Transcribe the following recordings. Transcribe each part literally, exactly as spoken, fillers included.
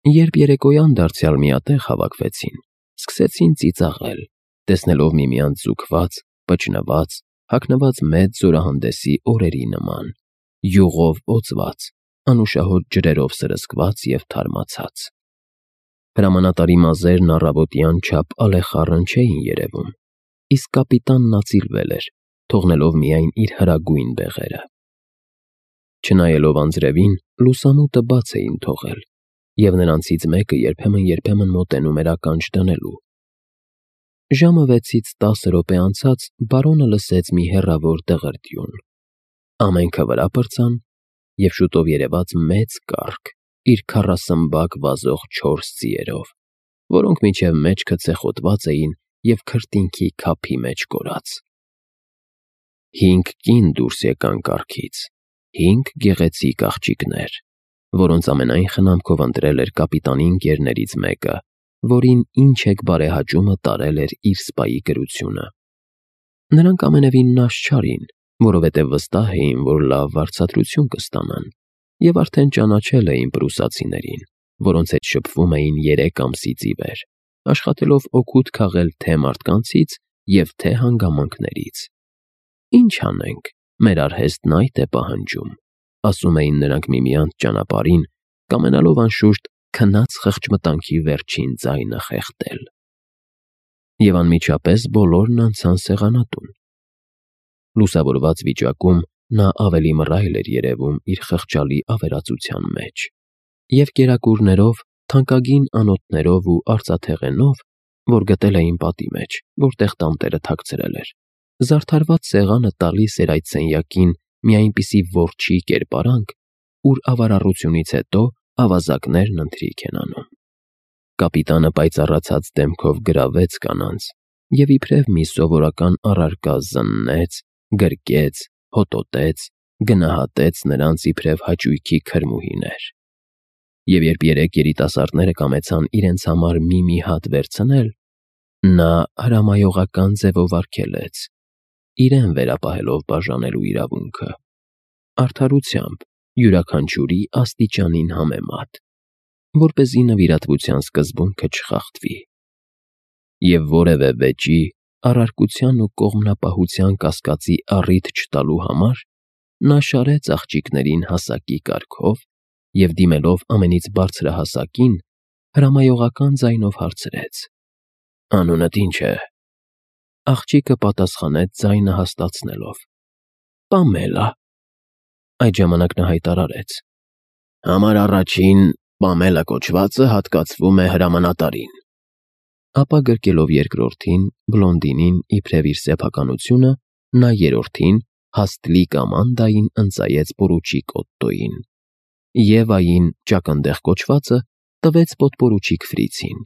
Երբ երեկոյան դարձյալ միատեղ հավաքվեցին, սկսեցին ծիծաղել, տեսնելով միմյանց ձուկված, պճնված, հագնված մեծ զորահանդեսի օրերի նման, յուղով օծված, անուշահոտ ջրերով սրսկված և թարմացած։ Հրամանատարի մազերն առավոտյան չափ ալեխառն չէին երևում, իսկ կապիտանն ածիլվել էր, թողնելով միայն իր հրագույն բեղերը։ Չնայելով անձրևին, լուսամուտը բաց էին թողել, և նրանցից մեկը երբեմն-երբեմն մոտենում էր ականջ դնելու։ Ժամը վեցից տասը րոպե անցած բարոնը լսեց մի հեռավոր դղրդյուն։ Ամենքը վրա պրծան, և շուտով երևաց մեծ կառք իր քառասմբակ վազող չորս ձիերով, որոնք մինչև մեջքը ցեխոտված էին և քրտինքի քափի մեջ կորած։ Հինգ կին դուրս եկան կառքից, հինգ գեղեցիկ աղջիկներ, որոնց ամենայն խնամքով ընտրել էր կապիտանի ընկերներից մեկը, որին ինչ-էկ բարեհաճումը տարել էր իր սպայի կրությունը։ Նրանք ամենևին նաժ չարին, որովհետև վստահ էին, որ լավ վարձատրություն կստանան, և արդեն ճանաչել էին պրուսացիներին, որոնց հետ շփվում էին երեք ամսից ի վեր, աշխատելով օգուտ քաղել թե մարդկանցից և թե հանգամանքներից։ «Ինչ անենք, մեր արհեստն այդ է պահանջում», ասում էին նրանք միմյանց ճանապարհին, կամենալով անշուշտ քնած խղճմտանքի վերջին ձայնը խեղդել։ Եվ անմիջապես բոլորն անցան սեղանատուն։ Լուսավորված վիճակում նա ավելի մռայլ էր երևում իր խղճալի ավերածության մեջ, և կերակուրներով, թանկագին անոթներով ու արծաթեղենով, որ գտել էին պատի մեջ, որտեղ տանտերը թաքցրել էր, զարդարված սեղանը տալիս էր այդ սենյակին մի այնպիսի որջի կերպարանք, ուր ավարառությունից հետո ավազակներն ընթրիք են անում։ Կապիտանը պայծառացած դեմքով գրավեց կանանց և իբրև մի սովորական առարկա զննեց, գրկեց, հոտոտեց, գնահատեց նրանց իբրև հաճույքի քրմուհիներ։ Եվ երբ երեք երիտասարդները կամեցան իրենց համար մի-մի հատ վերցնել, նա հրամայողական ձևով արգելեց, իրեն վերապահելով բաժանելու իրավունքը, արդարությամբ, յուրաքանչյուրի աստիճանին համեմատ, որպեսզի նվիրատվության սկզբունքը չխախտվի։ Եվ որևէ վեճի, առարկության ու կողմնապահության կասկածի առիթ չտալու համար նա շարեց աղջիկներին հասակի կարգով և, դիմելով ամենից բարձրահասակին, հրամայողական ձայնով հարցրեց. «Անունդ ի՞նչ է»։ Աղջիկը պատասխանեց ձայնը հաստացնելով. «Պամելա»։ Այդ ժամանակ նա հայտարարեց. «Համար առաջին Պամելա կոչվածը հատկացվում է հրամանատարին»։ Ապա գրկելով երկրորդին՝ բլոնդինին իբրև իր սեփականությունը, նա երրորդին՝ հաստ լիկ Ամանդային ընծայեց պորուչիկ Օտտոյին, Եվային՝ ճակնդեղ կոչվածը տվեց պոդպորուչիկ Ֆրիցին,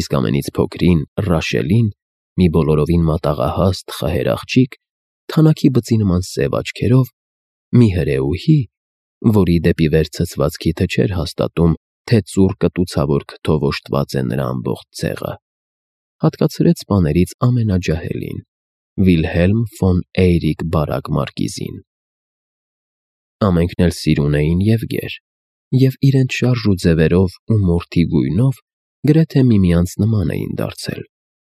իսկ ամենից փոքրին՝ Ռաշելին, մի բոլորովին մատաղահաստ խահեր աղջիկ, թանաքի բծի նման սև աչքերով, մի հրեուհի, որի դեպի վեր ցցված քիթը չէր հաստատում, թե ծուռ կտուցավոր քթով օժտված է նրա ամբողջ ցեղը, հատկացրեց սպաներից ամենաջահելին՝ Վիլհելմ ֆոն Էյրիկ Բարակ մարկիզին։ Ամենքն էլ սիրուն էին և գեր, և իրենց շարժ ու ձևերով ու մորթի գույնով գրեթե միմյանց նման էին դարձել,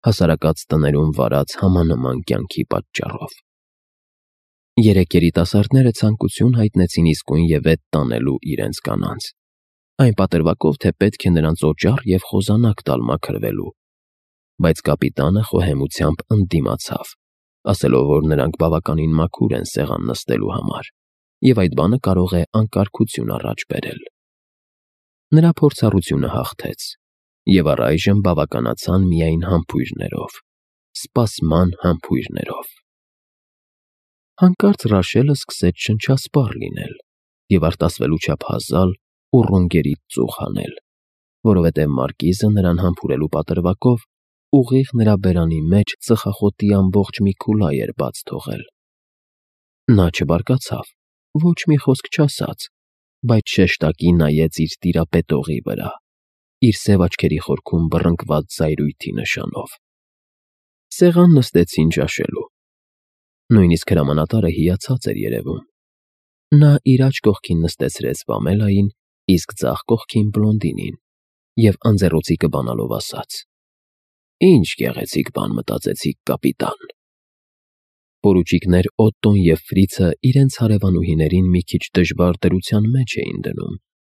հասարակած տներում վարած համանման կյանքի պատճառով։ Երեք երիտասարդները ցանկություն հայտնեցին իսկույն ևեթ տանելու իրենց կանանց, այն պատրվակով, թե պետք է նրանց օճառ և խոզանակ տալ մաքրվելու, բայց կապիտանը խոհեմությամբ ընդդիմացավ, ասելով, որ նրանք բավականին մաքուր են սեղան նստելու համար, և այդ բանը կարող է անկարգություն առաջ բերել։ Նրա փորձառությունը հաղթեց, և առայժմ բավականացան միայն համբույրներով, սպասման համբույրներով։ Հանկարծ Ռաշելը սկսեց շնչասպառ լինել և արտասվելու չափ հազալ ու ռունգերից ծուխ հանել, որովհետև մարկիզը նրան համբուրելու պատրվակով ուղիղ նրա բերանի մեջ ծխախոտի ամբողջ մի քուլա էր բաց թողել։ Նա չբարկացավ, ոչ մի խոսք չասաց, բայց շեշտակի նայեց իր տիրապետողի վրա, իր սև աչքերի խորքում բռնկված զայրույթի նշանով։ Սեղան նստեցին ճաշելու։ Նույնիսկ հրամանատարը հիացած էր երևում։ Նա իր աջ կողքին նստեցրեց Պամելային, իսկ ձախ կողքին՝ բլոնդինին, և անձեռոցիկը բանալով ասաց. «Ինչ գեղեցիկ բան մտածեցիք, կապիտան»։ Պորուչիկներ Օտտոն և Ֆրիցը իրենց հարևանուհիներին մի քիչ դժվար դրության մեջ էին դնում,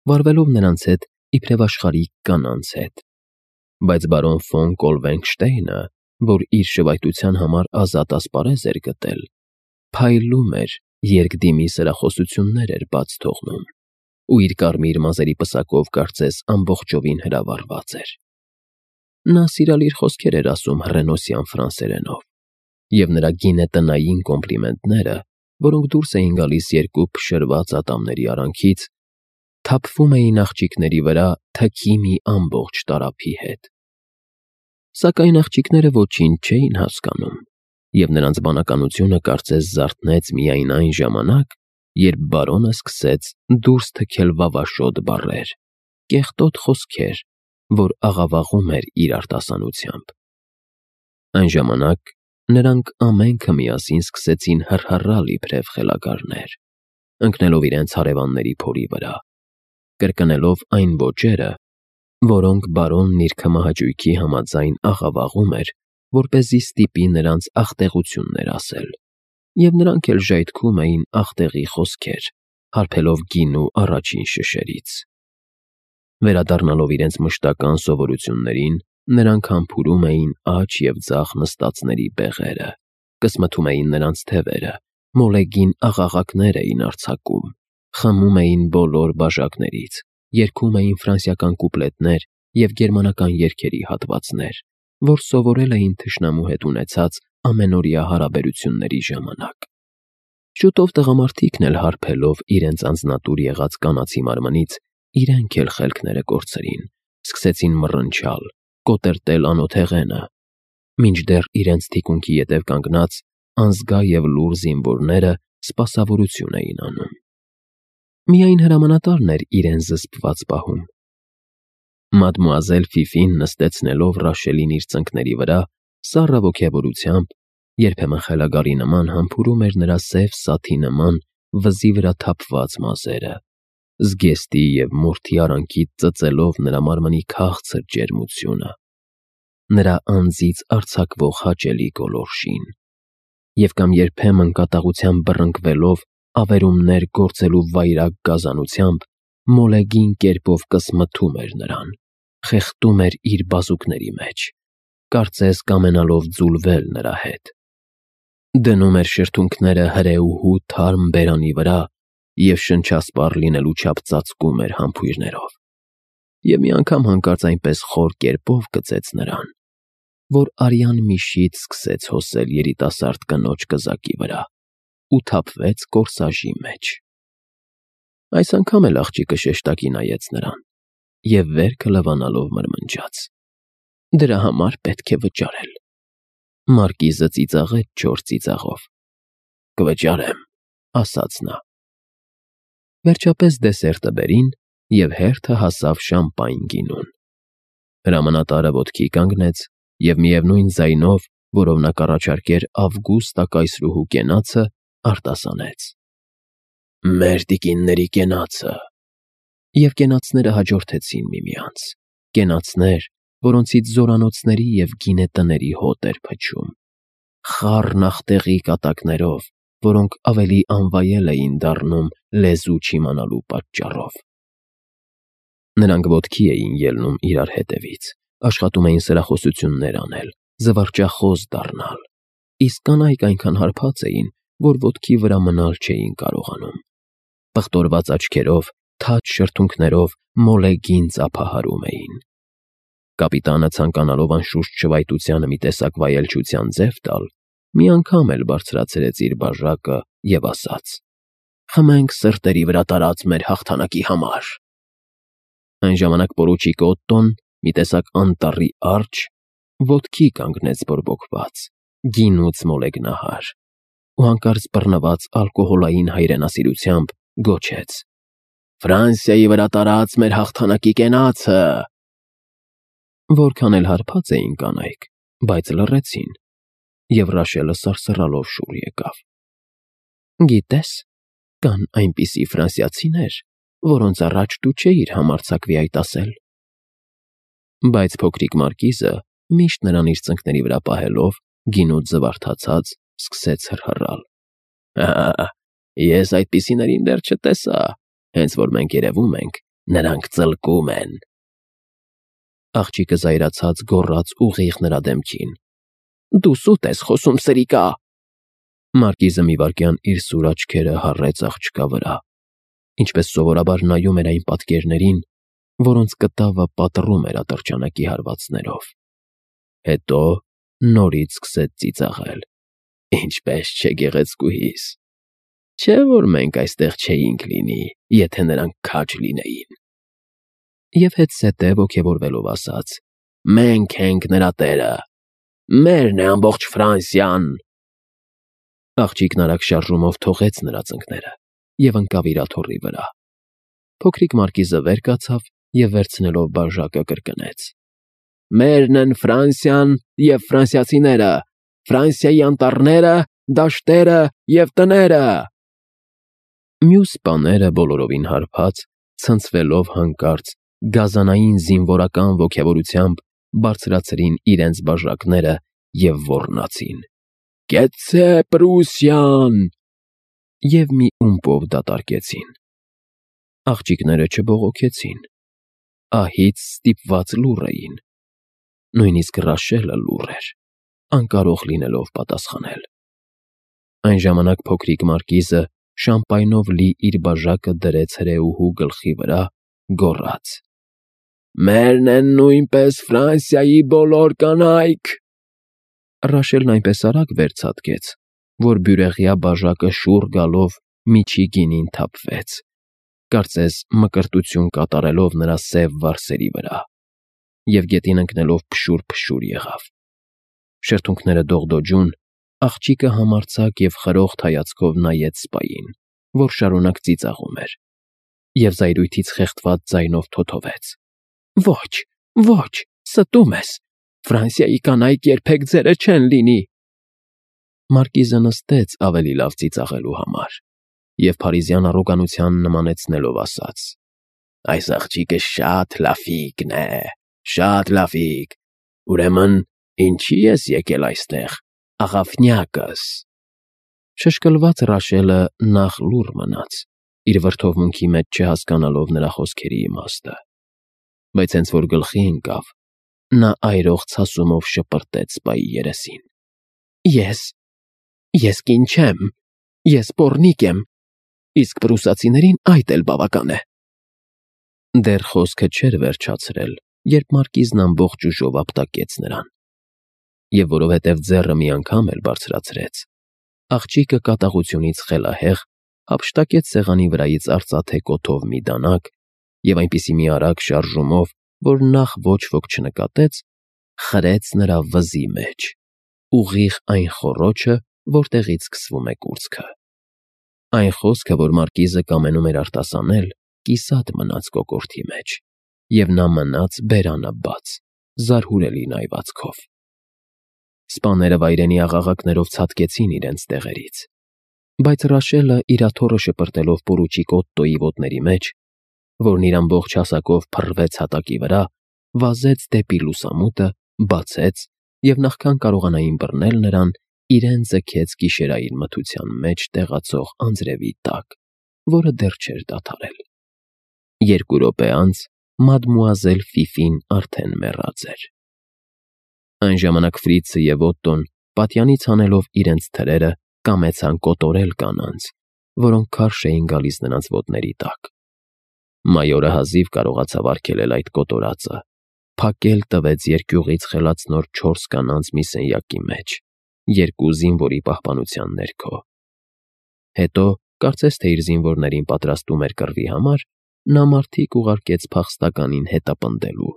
վարվելով նրանց հետ իբրև աշխարհիկ կանանց հետ։ Բայց բարոն ֆոն Կոլվենգշտեյնը, որ իր շվայտության համար ազատ ասպարեզ էր գտել, փայլում էր, երկդիմի սրախոսություններ էր բաց թողնում, ու իր կարմիր մազերի պսակով կարծես ամբողջովին հրավառված էր։ Նա սիրալիր խոսքեր էր ասում հռենոսյան ֆրանսերենով, և նրա գինետնային կոմպլիմենտները, որոնք դուրս էին գալիս երկու փշրված ատամների արանքից, թափվում էին աղջիկների վրա թքի մի ամբողջ տարափի հետ։ Սակայն աղջիկները ոչինչ չէին հասկանում, և նրանց բանականությունը կարծես զարթնեց միայն այն ժամանակ, երբ բարոնը սկսեց դուրս թքել վավաշոտ բառեր, կեղտոտ խոսքեր, որ աղավաղում էր իր արտասանությամբ։ Այն ժամանակ նրանք ամենքը միասին սկսեցին հռհռալ իբրև խելագարներ, ընկնելով իրենց հարևանների փորի վրա, կրկնելով այն ոճերը, որոնք բարոնն իր քմահաճույքի համաձայն աղավաղում էր, որպեսզի ստիպի նրանց աղտեղություններ ասել, և նրանք էլ ժայթքում էին աղտեղի խոսքեր, հարբելով գինու առաջին շշերից։ Վերադառնալով իրենց մշտական սովորություններին, նրանք համբուրում էին աջ և ձախ նստածների բեղերը, կսմթում էին նրանց թևերը, մոլեգին աղաղակներ էին արձակում, խմում էին բոլոր բաժակներից, երգում էին ֆրանսիական կուպլետներ և գերմանական երգերի հատվածներ, որ սովորել էին թշնամու հետ ունեցած ամենօրյա հարաբերությունների ժամանակ։ Շուտով տղամարդիկն էլ հարբելով իրենց անձնատուր եղած կանացի մարմնից, իրենք էլ խելքները կորցրին, սկսեցին մռնչալ, կոտրտել անոթեղենը, մինչդեռ իրենց թիկունքի ետև կանգնած անզգա և լուռ զինվորները սպասավորություն էին անում։ Միայն հրամանատարն էր իրեն զսպված պահում։ Մադմուազել Ֆիֆին նստեցնելով Ռաշելին իր ծնկների վրա, սառը ոգևորությամբ, երբեմն խելագարի նման համբուրում էր նրա սև սաթի նման վզի վրա թափված մազերը, զգեստի և մորթի արանքից ծծելով նրա մարմնի քաղցր ջերմությունը, նրա անձից արձակվող հաճելի գոլորշին, և կամ երբեմն կատաղությամբ բռնկվելով ավերումներ գործելու վայրագ գազանությամբ, մոլեգին կերպով կսմթում էր նրան, խեղդում էր իր բազուկների մեջ, կարծես կամենալով ձուլվել նրա հետ, դնում էր շրթունքները հրեուհու թարմ բերանի վրա և շնչասպառ լինելու չափ ծածկում էր համբույրներով, և մի անգամ հանկարծ այնպես խոր կերպով կծեց նրան, որ արյան միշից սկսեց հոսել երիտասարդ կնոջ կզակի վրա ու թափվեց կորսաժի մեջ։ Այս անգամ էլ աղջիկը շեշտակի նայեց նրան և վերքը լվանալով մրմնջաց. «Դրա համար պետք է վճարել»։ Մարկիզը ծիծաղեց չոր ծիծաղով։ «Կվճարեմ», ասաց նա։ Վերջապես դեսերտը բերին, և հերթը հասավ շամպայն գինուն։ Հրամանատարը ոտքի կանգնեց և միևնույն ձայնով, որով նա կառաջարկեր Ավգուստա կայսրուհու կենացը, արտասանեց. «Մեր տիկինների կենացը»։ Եվ կենացները հաջորդեցին միմյանց, կենացներ, որոնցից զորանոցների և գինետների հոտ էր փչում, խառն աղտեղի կատակներով, որոնք ավելի անվայել էին դառնում լեզու չիմանալու պատճառով։ Նրանք ոտքի էին ելնում իրար հետևից, աշխատում էին սրախոսություններ անել, զվարճախոս դառնալ, իսկ կանայք այնքան հարբած էին, որ ոտքի վրա մնալ չէին կարողանում։ Պղտորված աչքերով, թաց շրթունքներով մոլեգին ծափահարում էին։ Կապիտանը, ցանկանալով անշուշտ շվայտությանը մի տեսակ վայելչության ձև տալ, մի անգամ էլ բարձրացրեց իր բաժակը և ասաց. «Խմենք սրտերի վրա տարած մեր հաղթանակի համար»։ Այն ժամանակ պորուչիկ Օտտոն, մի տեսակ անտառի արջը, ոտքի կանգնեց բորբոքված, գինուց մոլեգնահար, ու հանկարծ բռնված ալկոհոլային հայրենասիրությամբ գոչեց. «Ֆրանսիայի վրա տարած մեր հաղթանակի կենացը»։ Որքան էլ հարբած էին կանայք, բայց լռեցին, և Ռաշելը սարսռալով շուռ եկավ. «Գիտե՞ս, կան այնպիսի ֆրանսիացիներ, որոնց առաջ դու չէիր համարձակվի այդ ասել»։ Բայց փոքրիկ մարկիզը, միշտ նրան իր ծնկների վրա պահելով, գինուց զվարթացած, սկսեց հռհռալ. «Ահա, ես այդպիսիներին դեռ չտեսա, հենց որ մենք երևում ենք, նրանք ծլկում են»։ Աղջիկը զայրացած գոռաց ուղիղ նրա դեմքին. «Դու սուտ ես խոսում, սրիկա»։ Մարկիզը մի վայրկյան իր սուր աչքերը հառեց աղջկա վրա, ինչպես սովորաբար նայում էր այն պատկերներին, որոնց կտավը պատռում էր ատրճանակի հարվածներով։ Հետո նորից սկսեց ծիծաղել. «Ինչպես չէ գեղեցկուհիս, չէ՞ որ մենք այստեղ չէինք լինի, եթե նրանք քաջ լինեին»։ Եվ հետզհետե ոգևորվելով ասաց. «Մենք ենք նրա տերը, մերն է ամբողջ Ֆրանսիան»։ Աղջիկն արագ շարժումով թողեց նրա ծնկները և ընկավ իր աթոռի վրա։ Փոքրիկ մարկիզը վեր կացավ և վերցնելով բաժակը կրկնեց. «Մերն են Ֆրանսիան և ֆրանսիացիները, Ֆրանսիայի անտառները, դաշտերը և տները»։ Մյուս սպաները բոլորովին հարբած, ցնցվելով հանկարծ, գազանային զինվորական ոգևորությամբ բարձրացրին իրենց բաժակները և ոռնացին. «Կեցցե Պրուսիան» և մի ումպով դատարկեցին։ Աղջիկները չբողոքեցին, ահից ստիպված լուռ էին։ Նույնիսկ Ռաշելը լուռ էր, անկարող լինելով պատասխանել։ Այն ժամանակ փոքրիկ մարկիզը շամպայնով լի իր բաժակը դրեց հրեուհու գլխի վրա, գոռաց. «Մերն են նույնպես Ֆրանսիայի բոլոր կանայք»։ Ռաշելն այնպես արագ վեր ցատկեց, որ բյուրեղյա բաժակը շուռ գալով միջի գինին թափվեց, կարծես մկրտություն կատարելով նրա սև վարսերի վրա, և գետին ընկնելով փշուր-փշուր եղավ։ Շրթունքները դողդոջուն, աղջիկը համարձակ և խրոխտ հայացքով նայեց սպային, որ շարունակ ծիծաղում էր, և զայրույթից խեղդված ձայնով թոթովեց. «Ոչ, ոչ, ստում ես, Ֆրանսիայի կանայք երբեք ձերը չեն լինի»։ Մարկիզը նստեց ավելի լավ ծիծաղելու համար և փարիզյան առոգանության նմանեցնելով ասաց. «Այս աղջիկը շատ լաֆիկն է, շատ լաֆիկ, ուրեմն ինչի՞ ես եկել այստեղ, աղավնյակս»։ Շշկլված Ռաշելը նախ լուռ մնաց, իր վրդովմունքի մեջ չհասկանալով նրա խոսքերի իմաստը, բայց հենց որ գլխի ընկավ, նա այրող ցասումով շպրտեց սպայի երեսին. «Ես… ես կին չեմ, ես պոռնիկ եմ, իսկ պրուսացիներին այդ էլ բավական է»։ Դեռ խոսքը չէր վերջացրել, երբ մարկիզն ամբողջ ուժով ապտակեց նրան։ Եվ որովհետև ձեռը մի անգամ էլ բարձրացրեց, աղջիկը կատաղությունից խելահեղ հափշտակեց սեղանի վրայից արծաթե կոթով մի դանակ և այնպիսի մի արագ շարժումով, որ նախ ոչ ոք չնկատեց, խրեց նրա վզի մեջ, ուղիղ այն խոռոչը, որտեղից սկսվում է կուրծքը։ Այն խոսքը, որ մարկիզը կամենում էր արտասանել, կիսատ մնաց կոկորդի մեջ, և նա մնաց բերանը բաց, զարհուրելի նայվածքով։ Սպաները վայրենի աղաղակներով ցատկեցին իրենց տեղերից, բայց Ռաշելը իր աթոռը շպրտելով պորուչիկ Օտտոյի ոտների մեջ, որն իր ամբողջ հասակով փռվեց հատակի վրա, վազեց դեպի լուսամուտը, բացեց և նախքան կարողանային բռնել նրան, իրեն ձգեց գիշերային մթության մեջ տեղացող անձրևի տակ, որը դեռ չէր դադարել։ Երկու րոպե անց մադմուազել Ֆիֆին արդեն մեռած էր։ Այն ժամանակ Ֆրիցը և Օտտոն, պատյանից հանելով իրենց թրերը, կամեցան կոտորել կանանց, որոնք քարշ էին գալիս նրանց ոտների տակ։ Մայորը հազիվ կարողացավ արգելել այդ կոտորածը, փակել տվեց երկյուղից խելացնոր չորս կանանց մի սենյակի մեջ, երկու զինվորի պահպանության ներքո։ Հետո, կարծես թե իր զինվորներին պատրաստում էր կռվի համար, նա մարդիկ ուղարկեց փախստականին հետապնդելու,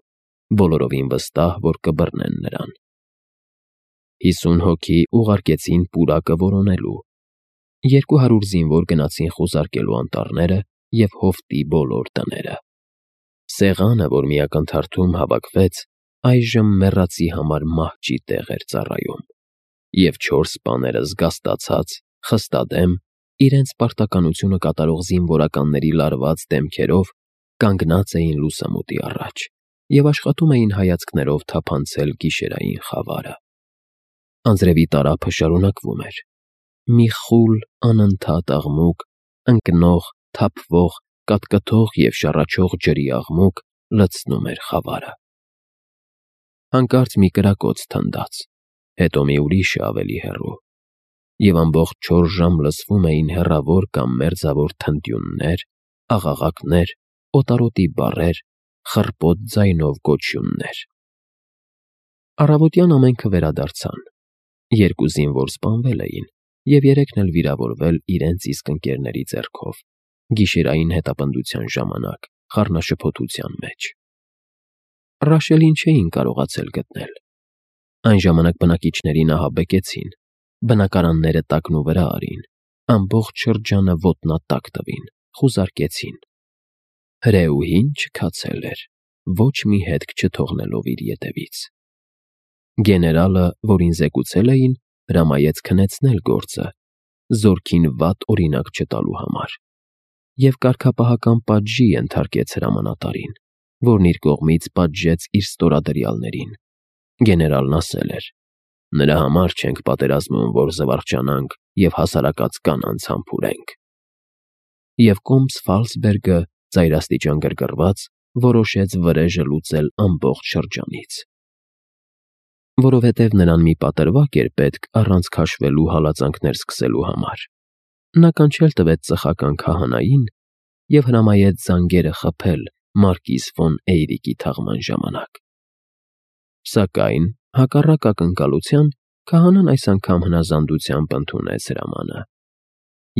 բոլորովին վստահ, որ կբռնեն նրան։ Հիսուն հոգի ուղարկեցին պուրակը որոնելու, երկու հարյուր զինվոր գնացին խուզարկելու անտառները և հովտի բոլոր տները։ Սեղանը, որ մի ակնթարթում հավաքվեց, այժմ մեռածի համար մահճի տեղ էր ծառայում, և չորս սպաները զգաստացած, խստադեմ, իրենց պարտականությունը կատարող զինվորականների լարված դեմքերով կանգնած էին լուսամուտի առաջ և աշխատում էին հայացքներով թափանցել գիշերային խավարը։ Անձրևի տարափը շարունակվում էր։ Մի խուլ, անընդհատ աղմուկ, ընկնող, թափվող, կատկթող և շառաչող ջրի աղմուկ լցնում էր խավարը։ Հանկարծ մի կրակոց թնդաց, հետո մի ուրիշը ավելի հեռու, և ամբողջ չորս ժամ լսվում էին հեռավոր կամ մերձավոր թնդյուններ, աղաղակներ, օտարոտի բառեր, խռպոտ ձայնով գոչյուններ։ Առավոտյան ամենքը վերադարձան։ Երկու զինվոր սպանվել էին, և երեքն էլ վիրավորվել իրենց իսկ ընկերների ձեռքով, գիշերային հետապնդության ժամանակ, խառնաշփոթության մեջ։ Ռաշելին չէին կարողացել գտնել։ Այն ժամանակ բնակիչներին ահաբեկեցին, բնակարանները տակնուվրա արին, ամբողջ շրջանը ոտնատակ տվին, խուզարկեցին։ Հրեուհին չքացել էր, ոչ մի հետք չթողնելով իր ետևից։ Գեներալը, որին զեկուցել էին, հրամայեց քնեցնել գործը, զորքին վատ օրինակ չտալու համար, և կարգապահական պատժի ենթարկեց հրամանատարին, որն իր կողմից պատժեց իր ստորադրյալներին։ Գեներալն ասել էր. «Նրա համար չենք պատերազմում, որ զվարճանանք և հասարակած կանանց համբուրենք»։ Եվ Կոմս֊Ֆալցբերգը, ծայրաստիճան գրգռված, որոշեց վրեժը լուծել ամբողջ շրջանից։ Որովհետև նրան մի պատրվակ էր պետք առանց քաշվելու հալածանքներ սկսելու համար, նա կանչել տվեց ծխական քահանային և հրամայեց զանգերը խփել մարկիս ֆոն Էյրիկի թաղման ժամանակ։ Սակայն, հակառակ ակնկալության, քահանան այս անգամ հնազանդությամբ ընդունեց հրամանը,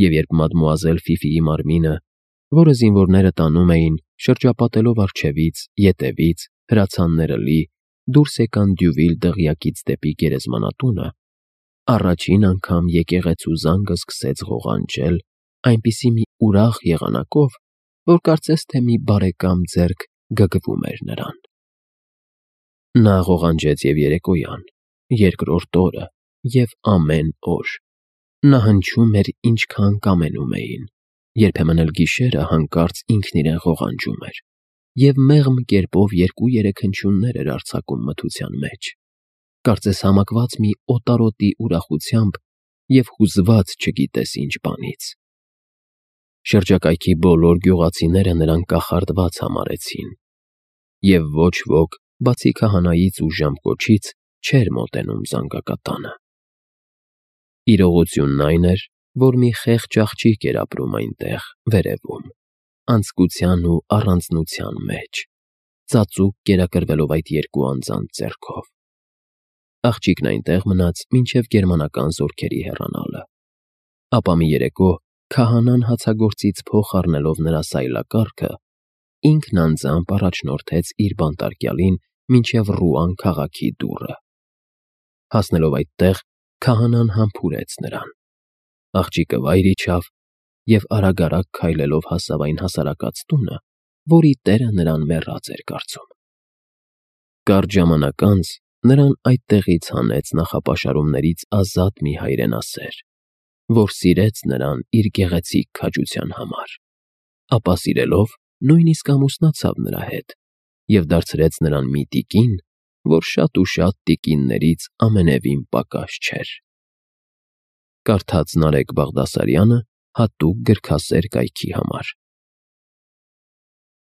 և երբ մադմուազել Ֆիֆիի մարմինը, որը զինվորները տանում էին, շրջապատելով առջևից, ետևից, հրացանները լի, դուրս եկան Դյուվիլ դղյակից դեպի գերեզմանատունը, առաջին անգամ եկեղեցու զանգը սկսեց ղողանջել այնպիսի մի ուրախ եղանակով, որ կարծես թե մի բարեկամ ձեռք գգվում էր նրան։ Նա ղողանջեց և երեկոյան, երկրորդ օրը և ամեն օր։ Նա հնչում էր, ինչքան կամենում էին, երբեմն էլ գիշերը հանկարծ ինքն իրեն ղողանջում էր, և մեղմ կերպով երկու֊երեք հնչյուններ էր արձակում մթության մեջ, կարծես համակված մի օտարոտի ուրախությամբ և հուզված չգիտես ինչ բանից։ Շրջակայքի բոլոր գյուղացիները նրան կախարդված համարեցին, և ոչ ոք, բացի քահանայից ու ժամկոչից, չէր մոտենում զանգակատանը։ Իրողությունն այն էր, որ մի խեղճ աղջիկ էր ապրում այնտեղ, վերևում, անձկության ու առանձնության մեջ, ծածուկ կերակրվելով այդ երկու անձանց ձեռքով։ Աղջիկն այնտեղ մնաց մինչև գերմանական զորքերի հեռանալը։ Ապա մի երեկո քահանան հացագործից փող առնելով նրա սայլակառքը, ինքն անձամբ առաջնորդեց իր բանտարկյալին մինչև Ռուան քաղաքի դուռը։ Հասնելով այդտեղ, քահանան համբուրեց նրան։ Աղջիկը վայր իջավ և արագ֊արագ քայլելով հասավ այն հասարակած տունը, որի տերը նրան մեռած էր կարծում։ Կարճ ժամանակ անց նրան այդտեղից հանեց նախապաշարումներից ազատ մի հայրենասեր, որ սիրեց նրան իր գեղեցիկ քաջության համար, ապա սիրելով նույնիսկ ամուսնացավ նրա հետ և դարձրեց նրան մի տիկին, որ շատ ու շատ տիկիններից ամենևին պակաս չէր։ Կարդաց Նարեկ Բաղդասարյանը հատուկ գրքասեր կայքի համար։